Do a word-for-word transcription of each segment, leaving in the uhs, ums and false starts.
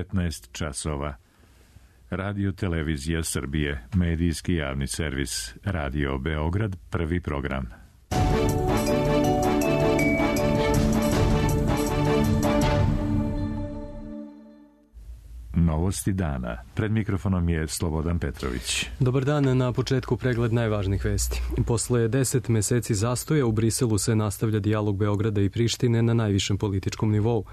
devetnaest časova. Radio Televizija Srbije, medijski javni servis, Radio Beograd, prvi program. Novosti dana. Pred mikrofonom je Slobodan Petrović. Dobar dan, na početku pregled najvažnijih vesti. Posle deset meseci zastoja u Briselu se nastavlja dijalog Beograda i Prištine na najvišem političkom nivou.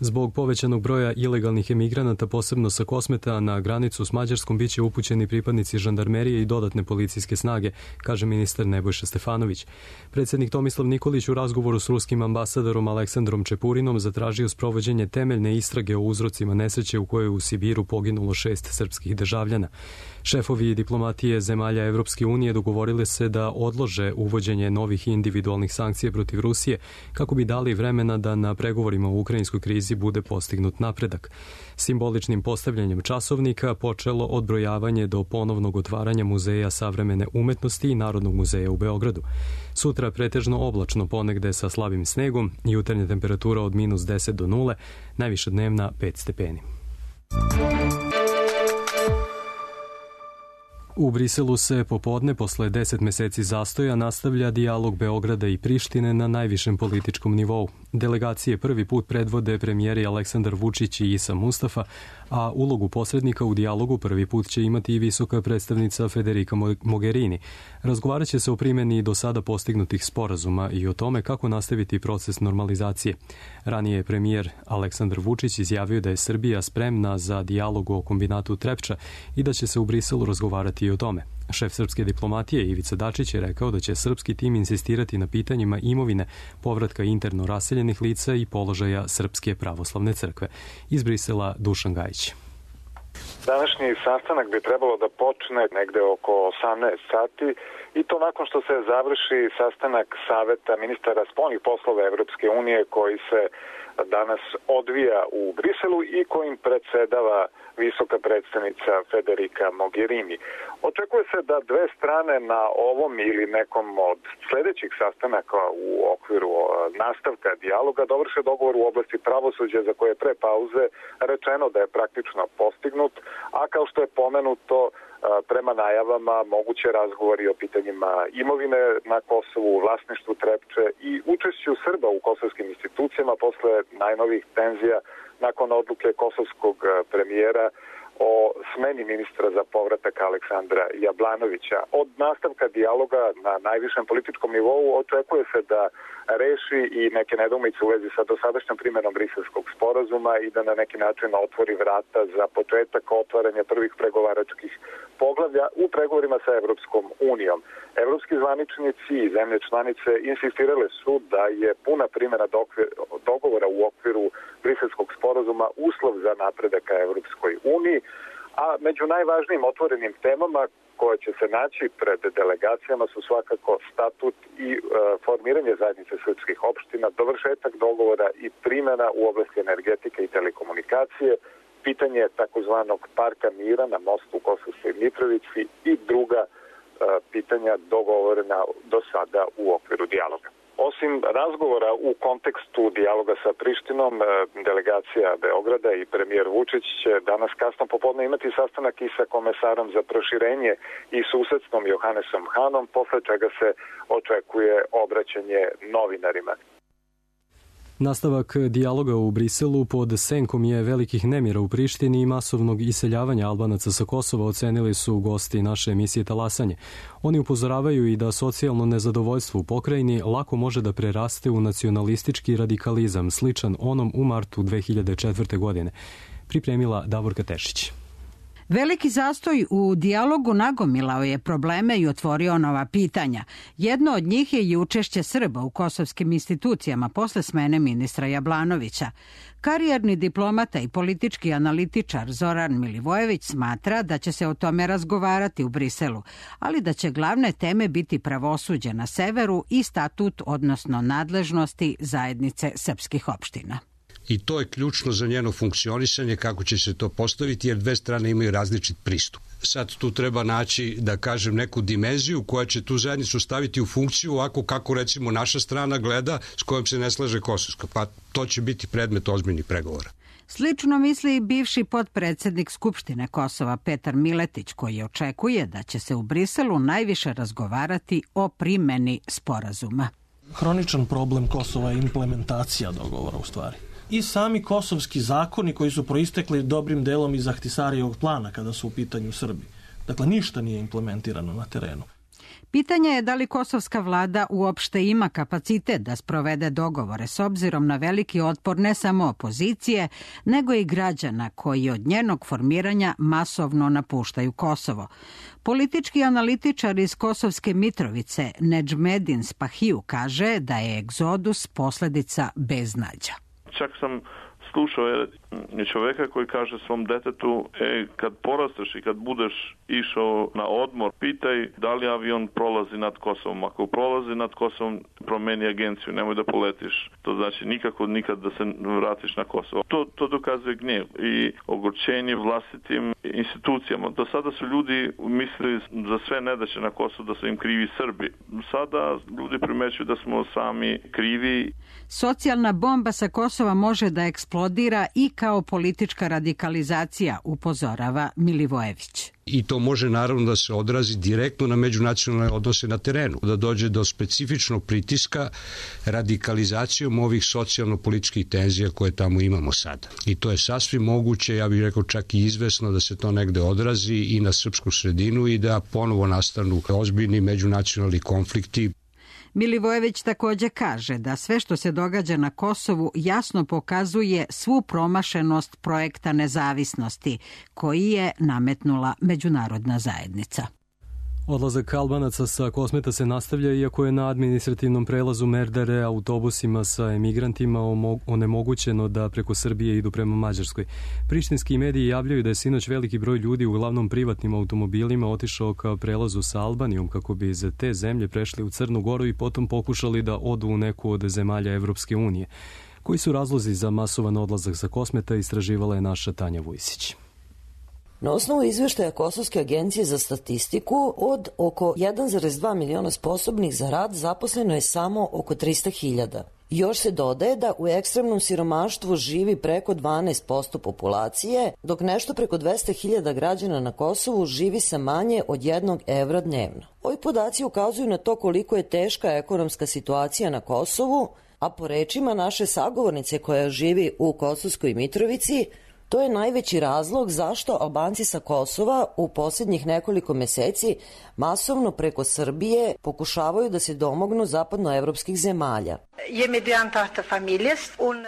Zbog povećanog broja ilegalnih emigranata, posebno sa Kosmeta, na granicu s Mađarskom biće upućeni pripadnici žandarmerije i dodatne policijske snage, kaže ministar Nebojša Stefanović. Predsjednik Tomislav Nikolić u razgovoru s ruskim ambasadorom Aleksandrom Čepurinom zatražio sprovođenje temeljne istrage o uzrocima nesreće u kojoj u Sibiru poginulo šest srpskih državljana. Šefovi diplomatije zemalja Evropske unije dogovorili se da odlože uvođenje novih individualnih sankcija protiv Rusije kako bi dali vremena da na pregovorima u ukrajinskoj krizi bude postignut napredak. Simboličnim postavljanjem časovnika počelo odbrojavanje do ponovnog otvaranja Muzeja savremene umetnosti i Narodnog muzeja u Beogradu. Sutra pretežno oblačno, ponegde sa slabim snegom, jutarnja temperatura od minus deset do nule, najviša dnevna pet stepeni. U Briselu se popodne, posle deset meseci zastoja, nastavlja dijalog Beograda i Prištine na najvišem političkom nivou. Delegacije prvi put predvode premijeri Aleksandar Vučić i Isa Mustafa, a ulogu posrednika u dijalogu prvi put će imati i visoka predstavnica Federica Mogherini. Razgovarat će se o primjeni do sada postignutih sporazuma i o tome kako nastaviti proces normalizacije. Ranije je premijer Aleksandar Vučić izjavio da je Srbija spremna za dijalog o kombinatu Trepča i da će se u Briselu razgovarati i o tome. Šef srpske diplomatije Ivica Dačić je rekao da će srpski tim insistirati na pitanjima imovine, povratka interno raseljenih lica i položaja Srpske pravoslavne crkve. Iz Brisela Dušan Gajić. Današnji sastanak bi trebalo da počne negde oko osamnaest sati i to nakon što se završi sastanak Saveta ministara spoljnih poslova Evropske unije koji se danas odvija u Briselu i kojim predsedava visoka predstavnica Federica Mogherini. Očekuje se da dve strane na ovom ili nekom od sledećih sastanaka u okviru nastavka dijaloga dovrše dogovor u oblasti pravosuđa za koje je pre pauze rečeno da je praktično postignut, a kao što je pomenuto prema najavama moguće razgovori o pitanjima imovine na Kosovu, vlasništvu Trepče i učešću Srba u kosovskim institucijama posle najnovih tenzija nakon odluke kosovskog premijera o smeni ministra za povratak Aleksandra Jablanovića. Od nastavka dijaloga na najvišem političkom nivou očekuje se da reši i neke nedoumice u vezi sa dosadašnjom primjenom Briselskog sporazuma i da na neki način otvori vrata za početak otvaranja prvih pregovaračkih poglavlja u pregovorima sa Evropskom unijom. Evropski zvaničnici i zemlje članice insistirale su da je puna primjena dogovora u okviru Briselskog sporazuma uslov za napredak ka Evropskoj uniji, a među najvažnijim otvorenim temama koje će se naći pred delegacijama su svakako statut i e, formiranje zajednice srpskih opština, dovršetak dogovora i primjena u oblasti energetike i telekomunikacije, pitanje takozvanog parka mira na mostu u Kosovskoj Mitrovici i druga e, pitanja dogovorena do sada u okviru dijaloga. Osim razgovora u kontekstu dijaloga sa Prištinom, delegacija Beograda i premijer Vučić će danas kasno popodne imati sastanak i sa komesarom za proširenje i susedstvom Johannesom Hanom, posle čega se očekuje obraćanje novinarima. Nastavak dijaloga u Briselu pod senkom je velikih nemira u Prištini i masovnog iseljavanja Albanaca sa Kosova, ocenili su gosti naše emisije Talasanje. Oni upozoravaju i da socijalno nezadovoljstvo u pokrajini lako može da preraste u nacionalistički radikalizam, sličan onom u martu dve hiljade četvrte. godine. Pripremila Davorka Tešić. Veliki zastoj u dijalogu nagomilao je probleme i otvorio nova pitanja. Jedno od njih je i učešće Srba u kosovskim institucijama posle smene ministra Jablanovića. Karijerni diplomata i politički analitičar Zoran Milivojević smatra da će se o tome razgovarati u Briselu, ali da će glavne teme biti pravosuđe na severu i statut, odnosno nadležnosti zajednice srpskih opština. I to je ključno za njeno funkcionisanje, kako će se to postaviti, jer dve strane imaju različit pristup. Sad tu treba naći, da kažem, neku dimenziju koja će tu zajednicu staviti u funkciju ovako kako recimo naša strana gleda, s kojom se ne slaže Kosovska. Pa to će biti predmet ozbiljnih pregovora. Slično misli i bivši potpredsednik Skupštine Kosova Petar Miletić, koji očekuje da će se u Briselu najviše razgovarati o primeni sporazuma. Hroničan problem Kosova je implementacija dogovora u stvari. I sami kosovski zakoni koji su proistekli dobrim delom iz Ahtisarijevog plana kada su u pitanju Srbi. Dakle, ništa nije implementirano na terenu. Pitanje je da li kosovska vlada uopšte ima kapacitet da sprovede dogovore s obzirom na veliki otpor ne samo opozicije, nego i građana koji od njenog formiranja masovno napuštaju Kosovo. Politički analitičar iz Kosovske Mitrovice Nedžmedin Spahiju kaže da je egzodus posledica beznađa. Čak sam slušao je čoveka koji kaže svom detetu, e, kad porasteš i kad budeš išao na odmor, pitaj da li avion prolazi nad Kosovom. Ako prolazi nad Kosovom, promeni agenciju, nemoj da poletiš. To znači nikako nikad da se vratiš na Kosovo. To, to dokazuje gnjev i ogorčenje vlastitim institucijama. Do sada su ljudi mislili za sve nedaće na Kosovu da su im krivi Srbi. Sada ljudi primećuju da smo sami krivi. Socijalna bomba sa Kosova može da eksplodira i kao politička radikalizacija, upozorava Milivojević. I to može naravno da se odrazi direktno na međunacionalne odnose na terenu, da dođe do specifičnog pritiska radikalizacijom ovih socijalno-političkih tenzija koje tamo imamo sada. I to je sasvim moguće, ja bih rekao čak i izvesno da se to negde odrazi i na srpsku sredinu i da ponovo nastanu ozbiljni međunacionalni konflikti. Milivojević takođe kaže da sve što se događa na Kosovu jasno pokazuje svu promašenost projekta nezavisnosti koji je nametnula međunarodna zajednica. Odlazak Albanaca sa Kosmeta se nastavlja, iako je na administrativnom prelazu Merdare autobusima sa emigrantima onemogućeno da preko Srbije idu prema Mađarskoj. Prištinski mediji javljaju da je sinoć veliki broj ljudi, uglavnom privatnim automobilima, otišao ka prelazu sa Albanijom kako bi iz te zemlje prešli u Crnu Goru i potom pokušali da odu u neku od zemalja Evropske unije. Koji su razlozi za masovan odlazak sa Kosmeta, istraživala je naša Tanja Vujsić. Na osnovu izveštaja Kosovske agencije za statistiku, od oko jedan zarez dva miliona sposobnih za rad zaposleno je samo oko trista hiljada. Još se dodaje da u ekstremnom siromaštvu živi preko dvanaest posto populacije, dok nešto preko dvesta hiljada građana na Kosovu živi sa manje od jednog evra dnevno. Ovi podaci ukazuju na to koliko je teška ekonomska situacija na Kosovu, a po rečima naše sagovornice koja živi u Kosovskoj Mitrovici, to je najveći razlog zašto Albanci sa Kosova u posljednjih nekoliko meseci masovno preko Srbije pokušavaju da se domognu zapadnoevropskih zemalja.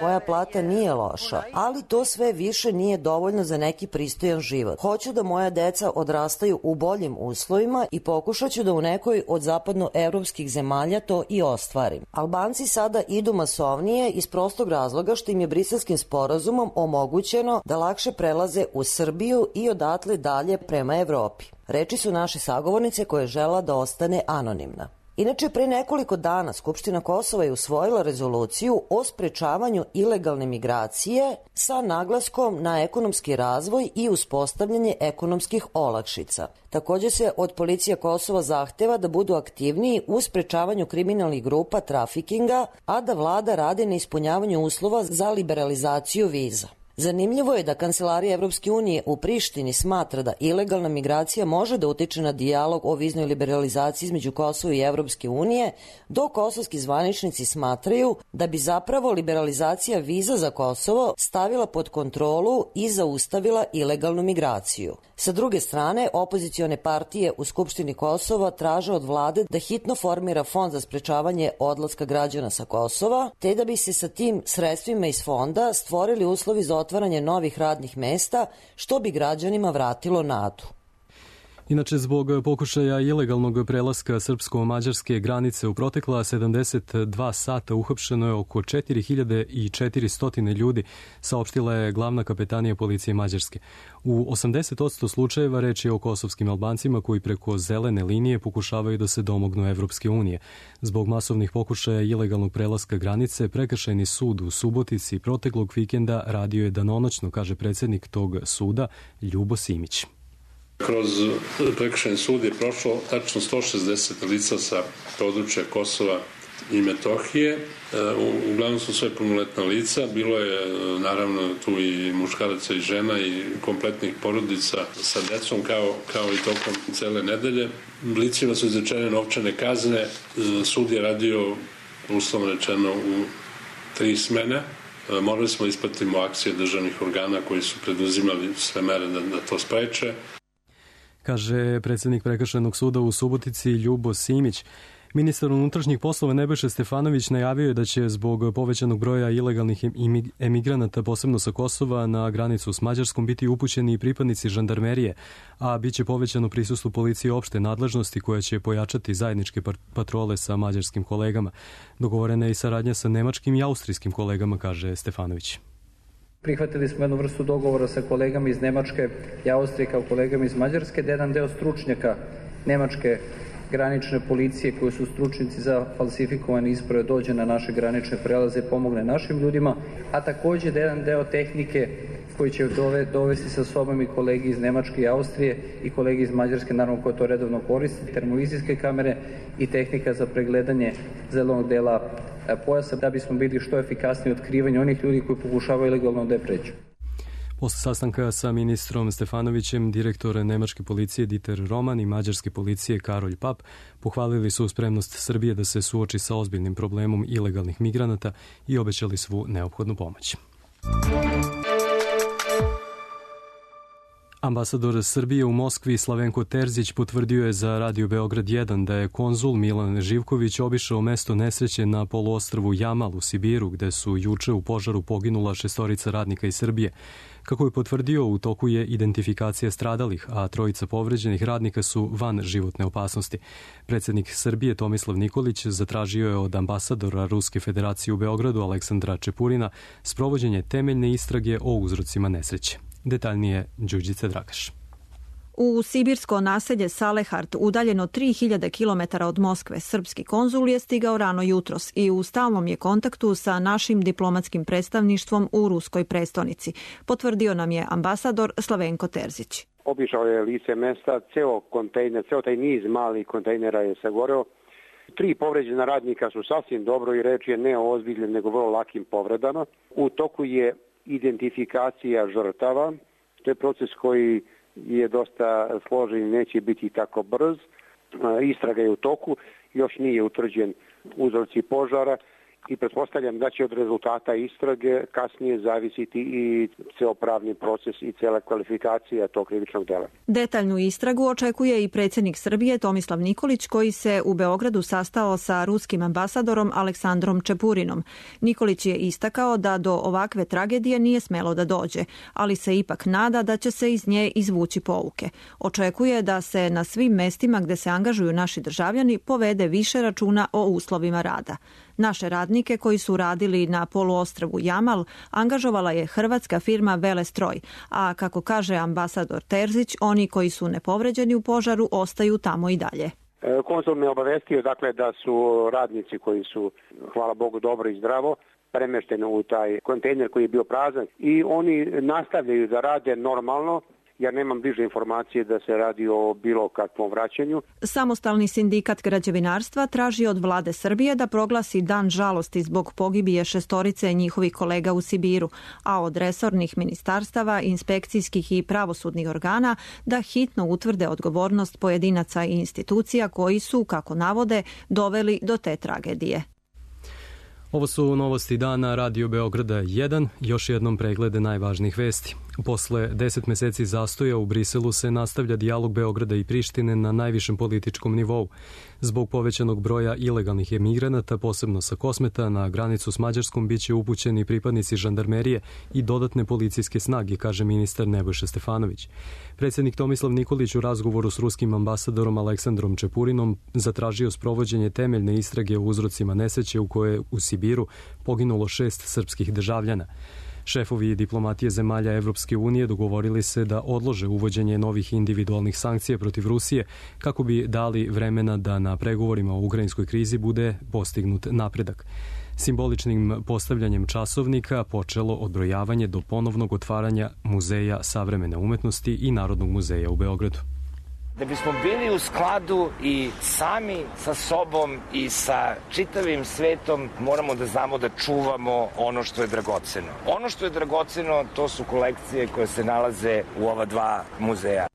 Moja plata nije loša, ali to sve više nije dovoljno za neki pristojan život. Hoću da moja deca odrastaju u boljim uslovima i pokušat ću da u nekoj od zapadnoevropskih zemalja to i ostvarim. Albanci sada idu masovnije iz prostog razloga što im je Briselskim sporazumom omogućeno da lakše prelaze u Srbiju i odatle dalje prema Evropi. Reči su naše sagovornice koja je žela da ostane anonimna. Inače, pre nekoliko dana Skupština Kosova je usvojila rezoluciju o sprečavanju ilegalne migracije sa naglaskom na ekonomski razvoj i uspostavljanje ekonomskih olakšica. Takođe se od policije Kosova zahteva da budu aktivniji u sprečavanju kriminalnih grupa trafikinga, a da vlada radi na ispunjavanju uslova za liberalizaciju viza. Zanimljivo je da Kancelarija Evropske unije u Prištini smatra da ilegalna migracija može da utiče na dijalog o viznoj liberalizaciji između Kosova i Evropske unije, dok kosovski zvaničnici smatraju da bi zapravo liberalizacija viza za Kosovo stavila pod kontrolu i zaustavila ilegalnu migraciju. Sa druge strane, opozicione partije u Skupštini Kosova traže od vlade da hitno formira fond za sprečavanje odlaska građana sa Kosova, te da bi se sa tim sredstvima iz fonda stvorili uslovi za otvaranje novih radnih mesta, što bi građanima vratilo nadu. Inače, zbog pokušaja ilegalnog prelaska srpsko-mađarske granice u protekla sedamdeset dva sata uhapšeno je oko četiri hiljade četiristo ljudi, saopštila je glavna kapetanija policije Mađarske. U osamdeset posto slučajeva reč je o kosovskim Albancima koji preko zelene linije pokušavaju da se domognu Evropske unije. Zbog masovnih pokušaja ilegalnog prelaska granice, prekršajni sud u Subotici proteklog vikenda radio je danonoćno, kaže predsjednik tog suda Ljubo Simić. Kroz prekršajni sud je prošlo tačno sto šezdeset lica sa područja Kosova i Metohije. Uglavnom su sve punoletna lica, bilo je naravno tu i muškaraca i žena i kompletnih porodica sa decom kao, kao i tokom cele nedelje. Licima su izrečene novčane kazne, sud je radio uslovno rečeno u tri smene. Morali smo ispratimo akcije državnih organa koji su preduzimali sve mere da, da to spreče. Kaže predsjednik Prekršajnog suda u Subotici Ljubo Simić. Ministar unutrašnjih poslova Nebojša Stefanović najavio je da će zbog povećanog broja ilegalnih emigranata, posebno sa Kosova, na granicu s Mađarskom biti upućeni i pripadnici žandarmerije, a bit će povećano prisustvo policije opšte nadležnosti koja će pojačati zajedničke patrole sa mađarskim kolegama. Dogovorena je i saradnja sa nemačkim i austrijskim kolegama, kaže Stefanović. Prihvatili smo jednu vrstu dogovora sa kolegama iz Nemačke i Austrije kao kolegama iz Mađarske, da jedan deo stručnjaka nemačke granične policije koji su stručnici za falsifikovane isprave dođe na naše granične prelaze i pomogne našim ljudima, a takođe da jedan deo tehnike koji će dovesti sa sobom i kolegi iz Nemačke i Austrije i kolegi iz Mađarske, naravno koje to redovno koriste, termovizijske kamere i tehnika za pregledanje zelenog dela pojasa, da bismo bili što efikasniji u otkrivanju onih ljudi koji pokušavaju ilegalno da je pređu. Posle sastanka sa ministrom Stefanovićem, direktor nemačke policije Dieter Roman i mađarske policije Karolj Pap pohvalili su spremnost Srbije da se suoči sa ozbiljnim problemom ilegalnih migranata i obećali svu neophodnu pomoć. Ambasador Srbije u Moskvi Slavenko Terzić potvrdio je za Radio Beograd jedan da je konzul Milan Živković obišao mesto nesreće na poluostrvu Jamal u Sibiru, gde su juče u požaru poginula šestorica radnika iz Srbije. Kako je potvrdio, u toku je identifikacija stradalih, a trojica povređenih radnika su van životne opasnosti. Predsjednik Srbije Tomislav Nikolić zatražio je od ambasadora Ruske federacije u Beogradu Aleksandra Čepurina sprovođenje temeljne istrage o uzrocima nesreće. Detaljnije Đurđica Dragaš. U sibirsko naselje Salehard, udaljeno tri hiljade kilometara od Moskve, srpski konzul je stigao rano jutros i u stalnom je kontaktu sa našim diplomatskim predstavništvom u ruskoj prestonici, potvrdio nam je ambasador Slavenko Terzić. Obišao je lice mesta, ceo kontejner, ceo taj niz malih kontejnera je sagoreo. Tri povređena radnika su sasvim dobro i reč je ne o ozbiljnim nego vrlo lakim povredama. U toku je identifikacija žrtava, to je proces koji je dosta složen i neće biti tako brz. Istraga je u toku, još nije utvrđen uzroci požara i pretpostavljam da će od rezultata istrage kasnije zavisiti i ceo pravni proces i cela kvalifikacija tog krivičnog dela. Detaljnu istragu očekuje i predsjednik Srbije Tomislav Nikolić, koji se u Beogradu sastao sa ruskim ambasadorom Aleksandrom Čepurinom. Nikolić je istakao da do ovakve tragedije nije smelo da dođe, ali se ipak nada da će se iz nje izvući pouke. Očekuje da se na svim mestima gde se angažuju naši državljani povede više računa o uslovima rada. Naše radnike koji su radili na poluostrvu Jamal angažovala je hrvatska firma Velestroj, a kako kaže ambasador Terzić, oni koji su nepovređeni u požaru ostaju tamo i dalje. Konzul me obavestio dakle da su radnici koji su, hvala Bogu, dobro i zdravo premešteni u taj kontejner koji je bio prazan i oni nastavljaju da rade normalno. Ja nemam bliže informacije da se radi o bilo kakvom vraćanju. Samostalni sindikat građevinarstva traži od vlade Srbije da proglasi dan žalosti zbog pogibije šestorice njihovih kolega u Sibiru, a od resornih ministarstava, inspekcijskih i pravosudnih organa da hitno utvrde odgovornost pojedinaca i institucija koji su, kako navode, doveli do te tragedije. Ovo su novosti dana Radio Beograda jedan, još jednom preglede najvažnijih vesti. Posle deset meseci zastoja u Briselu se nastavlja dijalog Beograda i Prištine na najvišem političkom nivou. Zbog povećanog broja ilegalnih emigranata, posebno sa Kosmeta, na granicu s Mađarskom biće upućeni pripadnici žandarmerije i dodatne policijske snage, kaže ministar Nebojša Stefanović. Predsjednik Tomislav Nikolić u razgovoru s ruskim ambasadorom Aleksandrom Čepurinom zatražio sprovođenje temeljne istrage o uzrocima nesreće u kojoj u Sibiru poginulo šest srpskih državljana. Šefovi diplomatije zemalja Evropske unije dogovorili se da odlože uvođenje novih individualnih sankcija protiv Rusije kako bi dali vremena da na pregovorima o ukrajinskoj krizi bude postignut napredak. Simboličnim postavljanjem časovnika počelo odbrojavanje do ponovnog otvaranja Muzeja savremene umetnosti i Narodnog muzeja u Beogradu. Da bismo bili u skladu i sami sa sobom i sa čitavim svetom, moramo da znamo da čuvamo ono što je dragoceno. Ono što je dragoceno, to su kolekcije koje se nalaze u ova dva muzeja.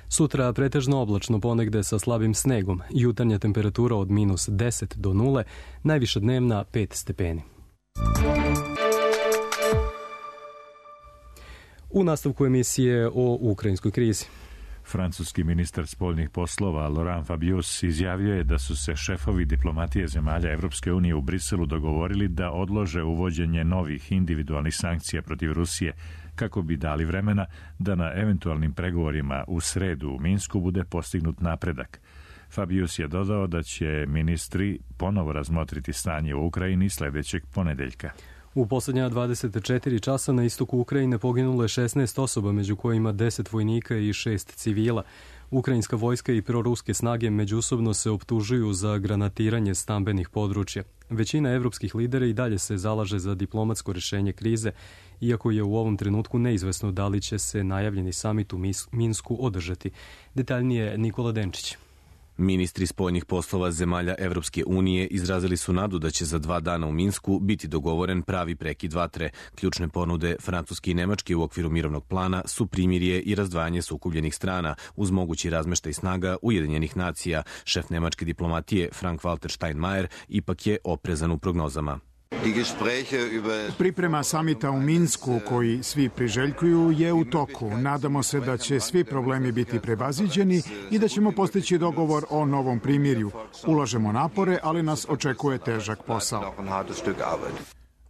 Sutra pretežno oblačno, ponegde sa slabim snegom. Jutarnja temperatura od minus deset do nule, najviša dnevna pet stepeni. U nastavku emisije o ukrajinskoj krizi. Francuski ministar spoljnih poslova Laurent Fabius izjavio je da su se šefovi diplomatije zemalja Evropske unije u Briselu dogovorili da odlože uvođenje novih individualnih sankcija protiv Rusije kako bi dali vremena da na eventualnim pregovorima u sredu u Minsku bude postignut napredak. Fabius je dodao da će ministri ponovo razmotriti stanje u Ukrajini sledećeg ponedeljka. U poslednja dvadeset četiri časa na istoku Ukrajine poginulo je šesnaest osoba, među kojima deset vojnika i šest civila. Ukrajinska vojska i proruske snage međusobno se optužuju za granatiranje stambenih područja. Većina evropskih lidera i dalje se zalaže za diplomatsko rešenje krize, iako je u ovom trenutku neizvesno da li će se najavljeni samit u Minsku održati. Detaljnije Nikola Denčić. Ministri spoljnih poslova zemalja Evropske unije izrazili su nadu da će za dva dana u Minsku biti dogovoren pravi prekid vatre. Ključne ponude Francuske i Nemačke u okviru mirovnog plana su primirje i razdvajanje sukobljenih strana uz mogući razmeštaj snaga Ujedinjenih nacija. Šef nemačke diplomatije Frank-Walter Steinmeier ipak je oprezan u prognozama. Priprema samita u Minsku, koji svi priželjkuju, je u toku. Nadamo se da će svi problemi biti prevaziđeni i da ćemo postići dogovor o novom primirju. Ulažemo napore, ali nas očekuje težak posao.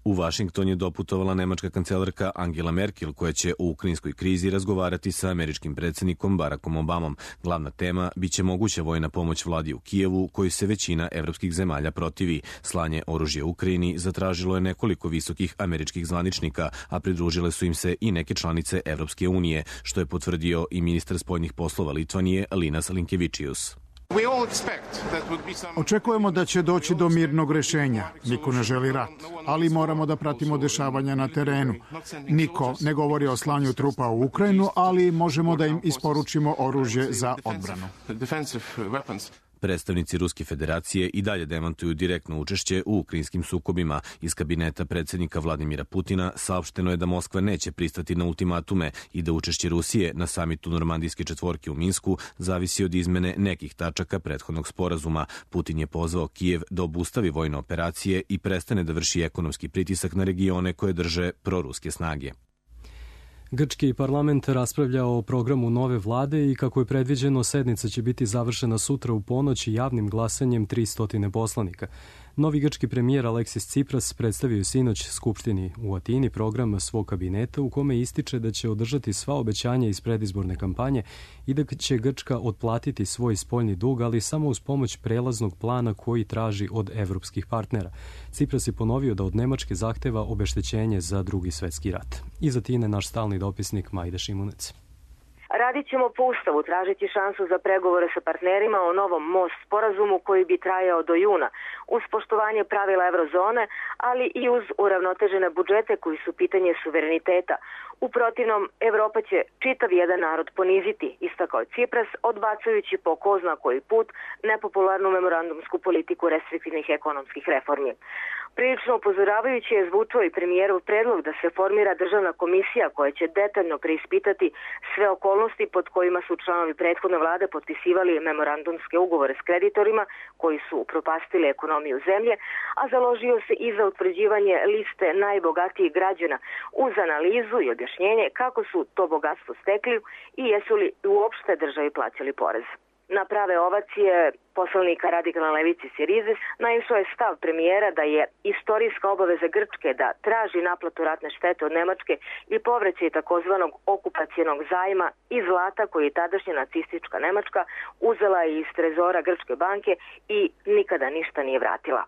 U Vašington je doputovala nemačka kancelarka Angela Merkel, koja će o ukrajinskoj krizi razgovarati sa američkim predsjednikom Barackom Obamom. Glavna tema biće moguća vojna pomoć vladi u Kijevu, koju se većina evropskih zemalja protivi. Slanje oružja Ukrajini zatražilo je nekoliko visokih američkih zvaničnika, a pridružile su im se i neke članice Evropske unije, što je potvrdio i ministar spoljnih poslova Litvanije Linas Linkevičius. Očekujemo da će doći do mirnog rešenja. Niko ne želi rat, ali moramo da pratimo dešavanja na terenu. Niko ne govori o slanju trupa u Ukrajinu, ali možemo da im isporučimo oružje za odbranu. Predstavnici Ruske federacije i dalje demantuju direktno učešće u ukrajinskim sukobima. Iz kabineta predsjednika Vladimira Putina saopšteno je da Moskva neće pristati na ultimatume i da učešće Rusije na samitu Normandijske četvorke u Minsku zavisi od izmene nekih tačaka prethodnog sporazuma. Putin je pozvao Kijev da obustavi vojne operacije i prestane da vrši ekonomski pritisak na regione koje drže proruske snage. Grčki parlament raspravlja o programu nove vlade i kako je predviđeno, sednica će biti završena sutra u ponoć javnim glasanjem tristo poslanika. Novi grčki premijer Aleksis Tsipras predstavio sinoć Skupštini u Atini program svog kabineta u kome ističe da će održati sva obećanja iz predizborne kampanje i da će Grčka otplatiti svoj spoljni dug, ali samo uz pomoć prelaznog plana koji traži od evropskih partnera. Tsipras je ponovio da od Nemačke zahteva obeštećenje za Drugi svetski rat. Iz Atine naš stalni dopisnik Majda Šimunec. Radit ćemo po Ustavu tražiti šansu za pregovore sa partnerima o novom most sporazumu koji bi trajao do juna, uz poštovanje pravila eurozone, ali i uz uravnotežene budžete koji su pitanje suvereniteta. U protivnom, Evropa će čitav jedan narod poniziti, istakao je Tsipras, odbacujući po ko zna koji put nepopularnu memorandumsku politiku restriktivnih ekonomskih reformi. Prilično upozoravajući je zvučao i premijerov predlog da se formira državna komisija koja će detaljno preispitati sve okolnosti pod kojima su članovi prethodne vlade potpisivali memorandumske ugovore s kreditorima koji su upropastili ekonomiju zemlje, a založio se i za utvrđivanje liste najbogatijih građana uz analizu i objašnjenje kako su to bogatstvo stekli i jesu li uopšte državi plaćali porez. Na prave ovacije poslanika radikalne levice Sirizis naišao je stav premijera da je istorijska obaveza Grčke da traži naplatu ratne štete od Nemačke i povraćaj takozvanog okupacijenog zajma i zlata koji je tadašnja nacistička Nemačka uzela iz trezora Grčke banke i nikada ništa nije vratila.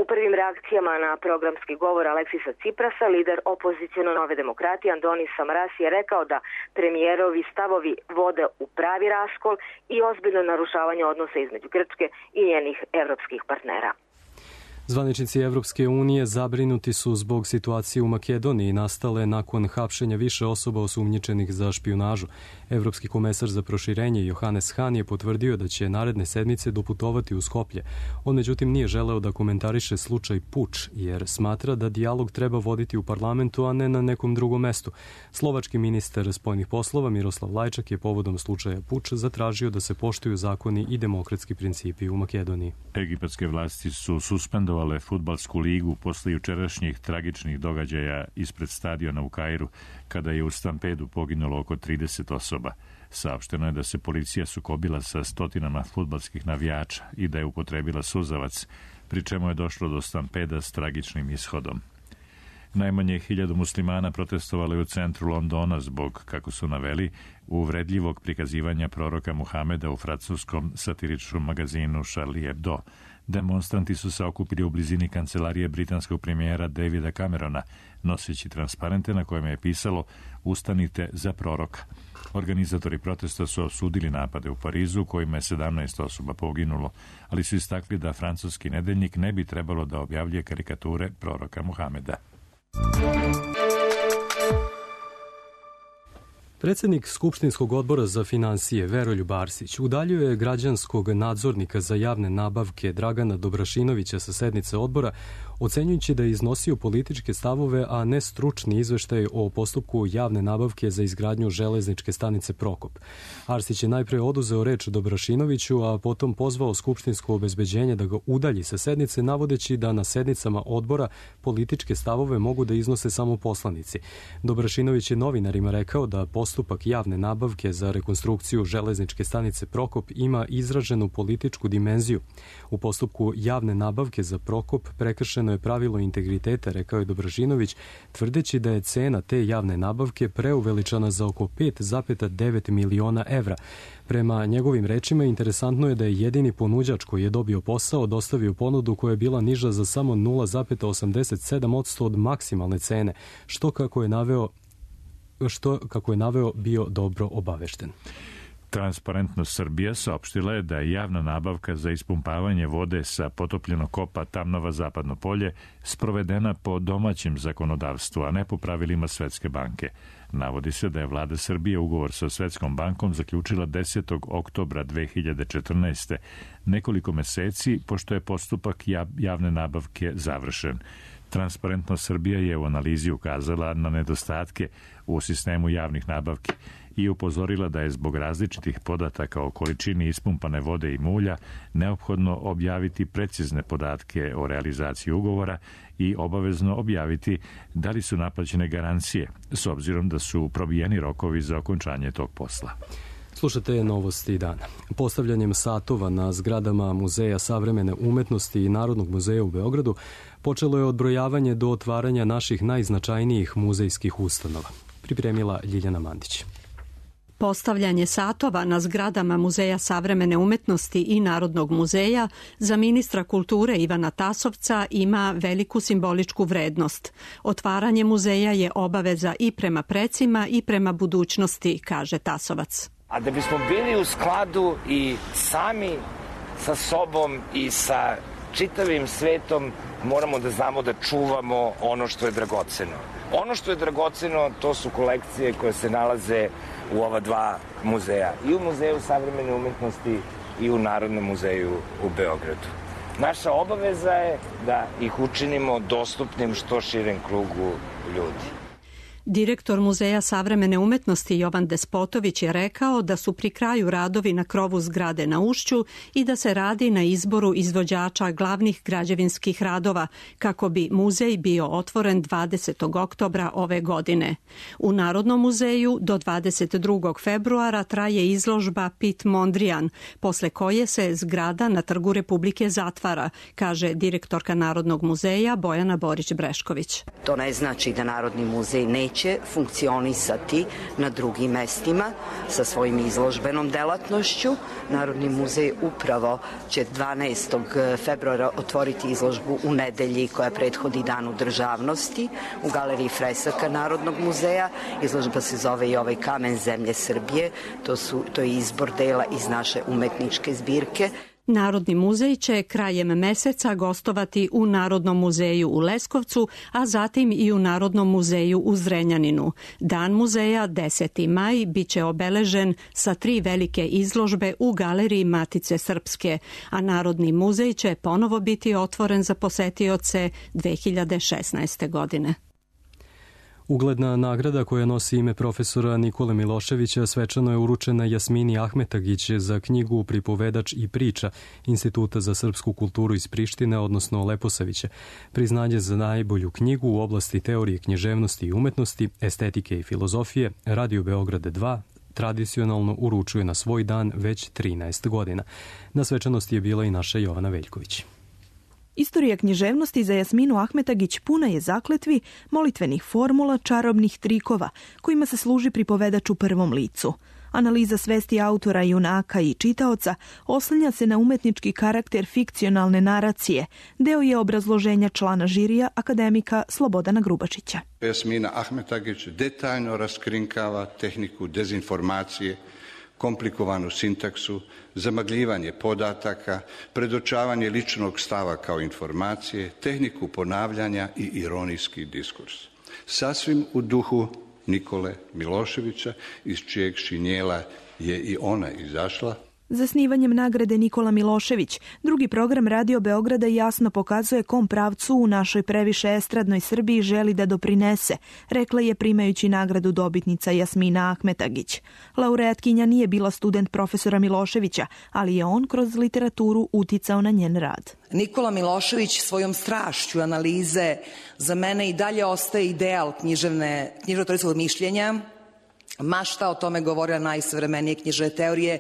U prvim reakcijama na programski govor Aleksisa Tsiprasa, lider opoziciono Nove demokratije Andonis Samaras je rekao da premijerovi stavovi vode u pravi raskol i ozbiljno narušavanje odnosa između Grčke i njenih evropskih partnera. Zvaničnici Evropske unije zabrinuti su zbog situacije u Makedoniji nastale nakon hapšenja više osoba osumnjičenih za špijunažu. Evropski komesar za proširenje Johannes Hahn je potvrdio da će naredne sedmice doputovati u Skoplje. On međutim nije želeo da komentariše slučaj puč, jer smatra da dijalog treba voditi u parlamentu, a ne na nekom drugom mestu. Slovački ministar spoljnih poslova Miroslav Lajčak je povodom slučaja puč zatražio da se poštuju zakoni i demokratski principi u Makedoniji. Egipatske vlasti su suspendovale fudbalsku ligu posle jučerašnjih tragičnih događaja ispred stadiona u Kairu, kada je u stampedu poginulo oko trideset osoba. Saopšteno je da se policija sukobila sa stotinama fudbalskih navijača i da je upotrebila suzavac, pri čemu je došlo do stampeda s tragičnim ishodom. Najmanje hiljadu muslimana protestovalo je u centru Londona zbog, kako su naveli, uvredljivog prikazivanja proroka Muhameda u francuskom satiričnom magazinu Charlie Hebdo. Demonstranti su se okupili u blizini kancelarije britanskog premijera Davida Camerona, noseći transparente na kojima je pisalo "Ustanite za proroka". Organizatori protesta su osudili napade u Parizu, kojima je sedamnaest osoba poginulo, ali su istakli da francuski nedeljnik ne bi trebalo da objavljuje karikature proroka Muhameda. Predsjednik Skupštinskog odbora za finansije Veroljub Arsić udaljuje građanskog nadzornika za javne nabavke Dragana Dobrašinovića sa sednice odbora, ocenjujući da je iznosio političke stavove, a ne stručni izveštaj o postupku javne nabavke za izgradnju železničke stanice Prokop. Arsić je najpre oduzeo reč Dobrašinoviću, a potom pozvao skupštinsko obezbeđenje da ga udalji sa sednice, navodeći da na sednicama odbora političke stavove mogu da iznose samo poslanici. Dobrašinović je novinarima rekao da postupak javne nabavke za rekonstrukciju železničke stanice Prokop ima izraženu političku dimenziju. U postupku javne nabavke za Prokop prekršeno je pravilo integriteta, rekao je Dobrašinović, tvrdeći da je cena te javne nabavke preuveličana za oko pet zarez devet miliona evra. Prema njegovim rečima, interesantno je da je jedini ponuđač koji je dobio posao dostavio ponudu koja je bila niža za samo nula zarez osamdeset sedam posto od maksimalne cene, što kako je naveo što, kako je naveo, bio dobro obavešten. Transparentnost Srbija saopštila je da je javna nabavka za ispumpavanje vode sa potopljenog kopa Tamnava Zapadno polje sprovedena po domaćem zakonodavstvu, a ne po pravilima Svetske banke. Navodi se da je vlada Srbije ugovor sa Svetskom bankom zaključila desetog oktobra dve hiljade četrnaeste. nekoliko meseci pošto je postupak javne nabavke završen. Transparentnost Srbija je u analizi ukazala na nedostatke u sistemu javnih nabavki i upozorila da je zbog različitih podataka o količini ispumpane vode i mulja neophodno objaviti precizne podatke o realizaciji ugovora i obavezno objaviti da li su naplaćene garancije, s obzirom da su probijeni rokovi za okončanje tog posla. Slušate novosti dana. Postavljanjem satova na zgradama Muzeja savremene umetnosti i Narodnog muzeja u Beogradu počelo je odbrojavanje do otvaranja naših najznačajnijih muzejskih ustanova. Pripremila Ljiljana Mandić. Postavljanje satova na zgradama Muzeja savremene umetnosti i Narodnog muzeja za ministra kulture Ivana Tasovca ima veliku simboličku vrednost. Otvaranje muzeja je obaveza i prema precima i prema budućnosti, kaže Tasovac. A da bismo bili u skladu i sami sa sobom i sa čitavim svetom, moramo da znamo da čuvamo ono što je dragoceno. Ono što je dragoceno, to su kolekcije koje se nalaze u ova dva muzeja. I u Muzeju savremene umetnosti i u Narodnom muzeju u Beogradu. Naša obaveza je da ih učinimo dostupnim što širem krugu ljudi. Direktor Muzeja savremene umetnosti Jovan Despotović je rekao da su pri kraju radovi na krovu zgrade na Ušću i da se radi na izboru izvođača glavnih građevinskih radova kako bi muzej bio otvoren dvadesetog oktobra ove godine. U Narodnom muzeju do dvadeset drugog februara traje izložba Pit Mondrian, posle koje se zgrada na Trgu Republike zatvara, kaže direktorka Narodnog muzeja Bojana Borić-Brešković. To ne znači da Narodni muzej ne će funkcionisati na drugim mestima sa svojim izložbenom delatnošću. Narodni muzej upravo će dvanaestog februara otvoriti izložbu u nedelji koja prethodi Danu državnosti u galeriji fresaka Narodnog muzeja. Izložba se zove i ovaj Kamen zemlje Srbije. To, su, to je izbor dela iz naše umetničke zbirke. Narodni muzej će krajem meseca gostovati u Narodnom muzeju u Leskovcu, a zatim i u Narodnom muzeju u Zrenjaninu. Dan muzeja, deseti maj, biće obeležen sa tri velike izložbe u Galeriji Matice Srpske, a Narodni muzej će ponovo biti otvoren za posetioce dve hiljade šesnaeste. godine. Ugledna nagrada koja nosi ime profesora Nikole Miloševića svečano je uručena Jasmini Ahmetagić za knjigu Pripovedač i priča Instituta za srpsku kulturu iz Prištine, odnosno Leposavića. Priznanje za najbolju knjigu u oblasti teorije književnosti i umetnosti, estetike i filozofije Radio Beograd dva tradicionalno uručuje na svoj dan već trinaest godina. Na svečanosti je bila i naša Jovana Veljković. Istorija književnosti za Jasminu Ahmetagić puna je zakletvi, molitvenih formula, čarobnih trikova, kojima se služi pripovedač u prvom licu. Analiza svesti autora, junaka i čitaoca oslanja se na umetnički karakter fikcionalne naracije. Deo je obrazloženja člana žirija, akademika Slobodana Grubačića. Jasmina Ahmetagić detaljno raskrinkava tehniku dezinformacije, komplikovanu sintaksu, zamagljivanje podataka, predočavanje ličnog stava kao informacije, tehniku ponavljanja i ironijski diskurs. Sasvim u duhu Nikole Miloševića, iz čijeg šinjela je i ona izašla. Zasnivanjem nagrade Nikola Milošević, drugi program Radio Beograda jasno pokazuje kom pravcu u našoj previše estradnoj Srbiji želi da doprinese, rekla je primajući nagradu dobitnica Jasmina Ahmetagić. Laureatkinja nije bila student profesora Miloševića, ali je on kroz literaturu uticao na njen rad. Nikola Milošević svojom strašću analize za mene i dalje ostaje ideal književne, književno-teorijskog mišljenja, ma šta o tome govorila najsavremenije književne teorije.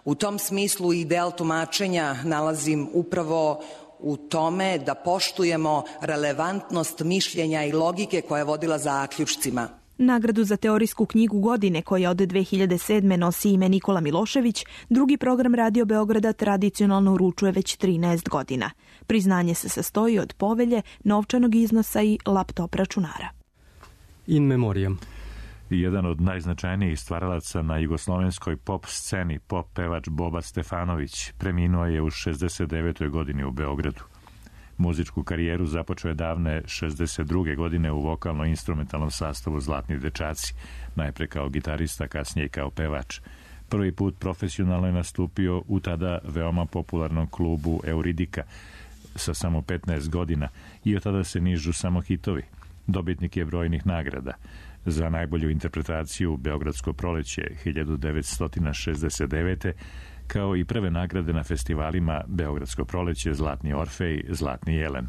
U tom smislu ideal tumačenja nalazim upravo u tome da poštujemo relevantnost mišljenja i logike koja je vodila zaključcima. Nagradu za teorijsku knjigu godine, koja od dve hiljade sedme. nosi ime Nikola Milošević, drugi program Radio Beograda tradicionalno uručuje već trinaest godina. Priznanje se sastoji od povelje, novčanog iznosa i laptop računara. In memoriam. Jedan od najznačajnijih stvaralaca na jugoslovenskoj pop sceni, pop pevač Boba Stefanović, preminuo je u šezdeset devetoj. godini u Beogradu. Muzičku karijeru započeo je davne šezdeset druge. godine u vokalno-instrumentalnom sastavu Zlatni dečaci, najpre kao gitarista, kasnije i kao pevač. Prvi put profesionalno je nastupio u tada veoma popularnom klubu Euridika sa samo petnaest godina i od tada se nižu samo hitovi. Dobitnik je brojnih nagrada. Za najbolju interpretaciju Beogradsko proleće hiljadu devetsto šezdeset devete. kao i prve nagrade na festivalima Beogradsko proleće, Zlatni Orfej, Zlatni Jelen.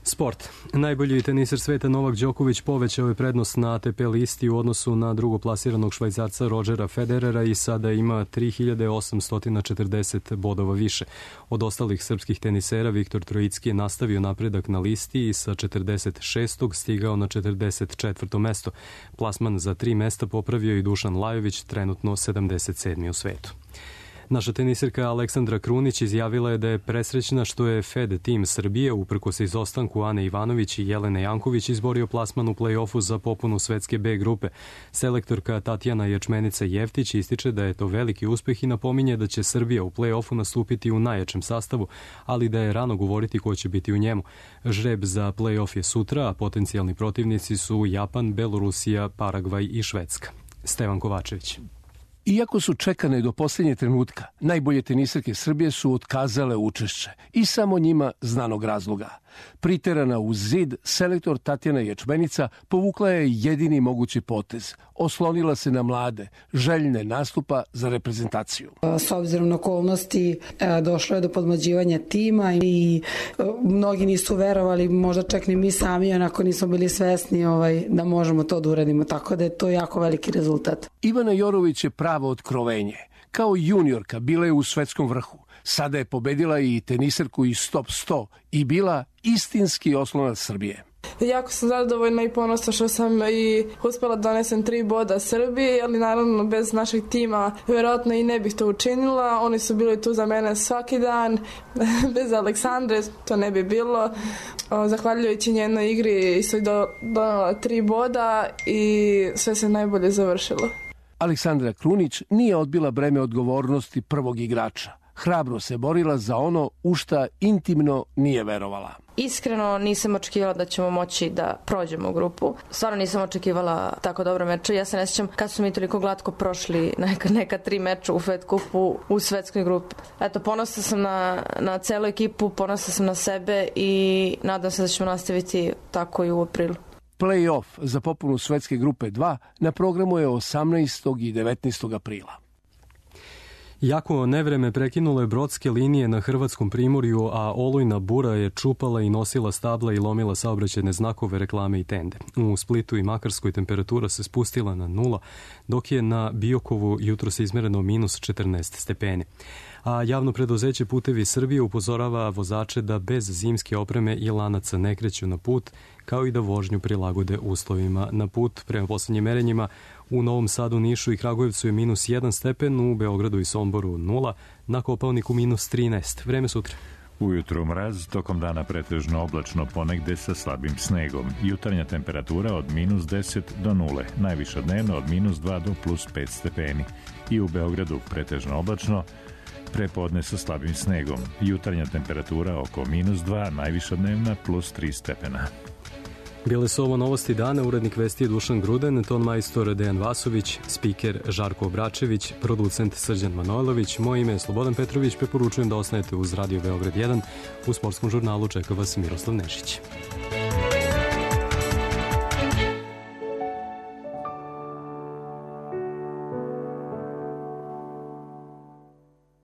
Sport. Najbolji teniser sveta Novak Đoković povećao je prednost na A T P listi u odnosu na drugoplasiranog Švajcarca Rodgera Federera i sada ima tri hiljade osamsto četrdeset bodova više. Od ostalih srpskih tenisera Viktor Trojicki je nastavio napredak na listi i sa četrdeset šestog stigao na četrdeset četvrto mesto. Plasman za tri mesta popravio i Dušan Lajović, trenutno sedamdeset sedmi u svetu. Naša tenisirka Aleksandra Krunić izjavila je da je presrećna što je Fed tim Srbije, uprkos izostanku Ane Ivanović i Jelene Janković, izborio plasman u play-offu za popunu svetske B grupe. Selektorka Tatjana Ječmenica-Jeftić ističe da je to veliki uspeh i napominje da će Srbija u play-offu nastupiti u najjačem sastavu, ali da je rano govoriti ko će biti u njemu. Žreb za play-off je sutra, a potencijalni protivnici su Japan, Belorusija, Paragvaj i Švedska. Stevan Kovačević. Iako su čekane do posljednje trenutka, najbolje tenisarke Srbije su otkazale učešće i samo njima znanog razloga. Priterana uz zid, selektor Tatjana Ječmenica povukla je jedini mogući potez. Oslonila se na mlade, željne nastupa za reprezentaciju. S obzirom na okolnosti došlo je do podmlađivanja tima i mnogi nisu verovali, možda čak ni mi sami, onako nismo bili svesni ovaj, da možemo to da uradimo, tako da je to jako veliki rezultat. Ivana Jorović je pravo otkrovenje. Kao juniorka bila je u svetskom vrhu. Sada je pobedila i tenisarku iz top sto i bila istinski oslonac Srbije. Jako sam zadovoljna i ponosna što sam i uspela da donesem tri boda Srbiji, ali naravno bez našeg tima vjerojatno i ne bih to učinila. Oni su bili tu za mene svaki dan, bez Aleksandre to ne bi bilo. Zahvaljujući njenoj igri isto je donela tri boda i sve se najbolje završilo. Aleksandra Krunić nije odbila breme odgovornosti prvog igrača. hrabro se borila za ono u šta intimno nije verovala. Iskreno nisam očekivala da ćemo moći da prođemo u grupu. Stvarno nisam očekivala tako dobro meče. Ja se ne sjećam kad su mi toliko glatko prošli neka, neka tri meča u Fed kupu u svetskoj grupi. Eto, ponosna sam na, na celu ekipu, ponosna sam na sebe i nadam se da ćemo nastaviti tako i u aprilu. Play-off za popunu svetske grupe dva na programu je osamnaestog i devetnaestog aprila. Jako nevreme prekinulo je brodske linije na hrvatskom primorju, a olujna bura je čupala i nosila stabla i lomila saobraćajne znakove, reklame i tende. U Splitu i Makarskoj temperatura se spustila na nula, dok je na Biokovu jutro se izmereno minus četrnaest stepeni. A javno preduzeće Putevi Srbije upozorava vozače da bez zimske opreme i lanaca ne kreću na put, kao i da vožnju prilagode uslovima na put. Prema poslednjim merenjima u Novom Sadu, Nišu i Kragujevcu je minus jedan stepen, u Beogradu i Somboru nula, na Kopaoniku minus trinaest. Vreme sutra. Ujutru mraz, tokom dana pretežno oblačno, ponegde sa slabim snegom. Jutarnja temperatura od minus deset do nule, najviša dnevno od minus dva do plus pet stepeni. I u Beogradu pretežno oblačno, prepodne sa slabim snegom. Jutarnja temperatura oko minus dva, najviša dnevna plus tri stepena. Bile su ovo novosti dana, urednik vesti je Dušan Gruden, ton majstor Dejan Vasović, spiker Žarko Obračević, producent Srđan Manojlović, moje ime je Slobodan Petrović, preporučujem da ostanete uz Radio Beograd jedan, u sportskom žurnalu čeka vas Miroslav Nešić.